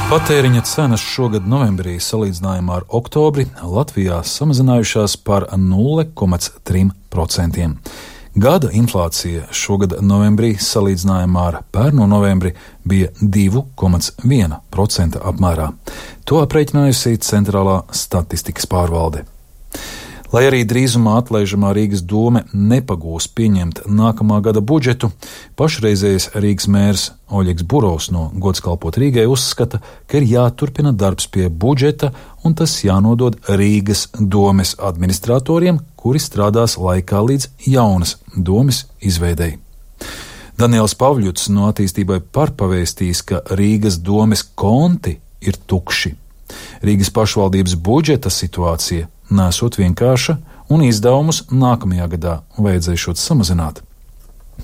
Patēriņa cenas šogad novembrī salīdzinājumā ar oktobri Latvijā samazinājušās par 0,3%. Gada inflācija šogad novembrī salīdzinājumā ar pērno novembri bija 2,1% apmērā. To aprēķinājusi Centrālā statistikas pārvalde. Lai arī drīzumā atlaižamā Rīgas dome nepagūs pieņemt nākamā gada budžetu, pašreizējais Rīgas mērs Oļegs Burovs no Gods kalpot Rīgai uzskata, ka ir jāturpina darbs pie budžeta un tas jānodod Rīgas domes administratoriem, kuri strādās laikā līdz jaunas domes izveidei. Daniels Pavļuts no Attīstībai par pavēstījis, ka Rīgas domes konti ir tukši. Rīgas pašvaldības budžeta situācija nesot vienkārša un izdevumus nākamajā gadā vajadzēšot samazināt.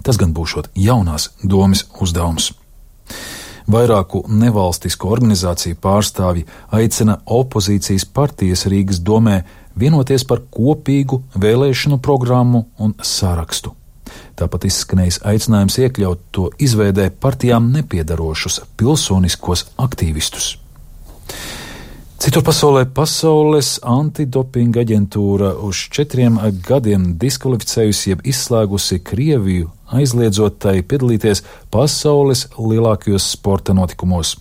Tas gan būšot jaunās domes uzdevums. Vairāku nevalstisko organizāciju pārstāvji aicina opozīcijas partijas Rīgas domē vienoties par kopīgu vēlēšanu programmu un sarakstu. Tāpat izskanējis aicinājums iekļaut to izveidē partijām nepiedarošus pilsoniskos aktīvistus. Citur pasaulē pasaules antidopinga aģentūra uz 4 gadiem diskvalificējusi jeb izslēgusi Krieviju, aizliedzot tai piedalīties pasaules lielākajos sporta notikumos.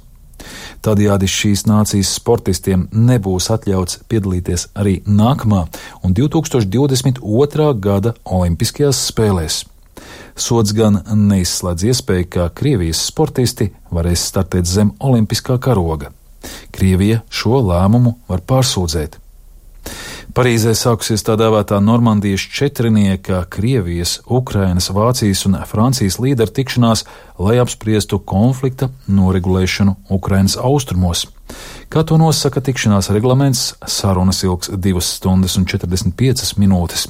Tādējādi šīs nācijas sportistiem nebūs atļauts piedalīties arī nākamā un 2022. gada Olimpiskajās spēlēs. Sods gan neizslēdz iespēju, ka Krievijas sportisti varēs startēt zem olimpiskā karoga. Krievija šo lēmumu var pārsūdzēt. Parīzē sākusies tā dēvētā Normandijas četrinieka Krievijas, Ukrainas, Vācijas un Francijas līderu tikšanās, lai apspriestu konflikta noregulēšanu Ukrainas austrumos. Kā to nosaka tikšanās reglaments, sarunas ilgs 2 stundas un 45 minūtes.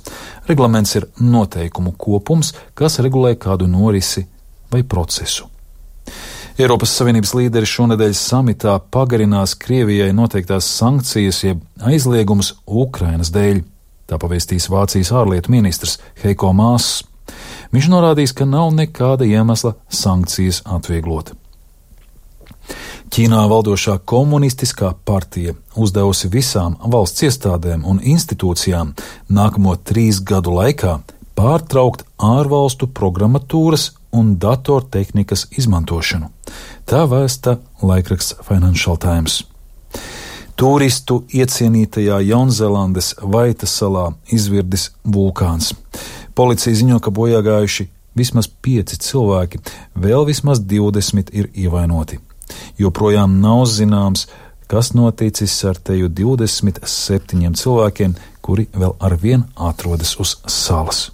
Reglaments ir noteikumu kopums, kas regulē kādu norisi vai procesu. Eiropas Savienības līderi šonedēļ samitā pagarinās Krievijai noteiktās sankcijas jeb aizliegumus Ukrainas dēļ. Tā pavēstīs Vācijas ārlietu ministrs Heiko Māss. Viņš norādīs, ka nav nekāda iemesla sankcijas atvieglot. Ķīnā valdošā komunistiskā partija uzdevusi visām valsts iestādēm un institūcijām nākamo 3 gadu laikā pārtraukt ārvalstu programmatūras un datortehnikas izmantošanu. Tā vēsta laikraksts Financial Times. Turistu iecienītajā Jaunzēlandes Vaita salā izvirdis vulkāns. Policija ziņo, ka bojāgājuši vismaz 5 cilvēki, vēl vismaz 20 ir ievainoti. Joprojām nav zināms, kas noticis ar teju 27 cilvēkiem, kuri vēl arvien atrodas uz salas.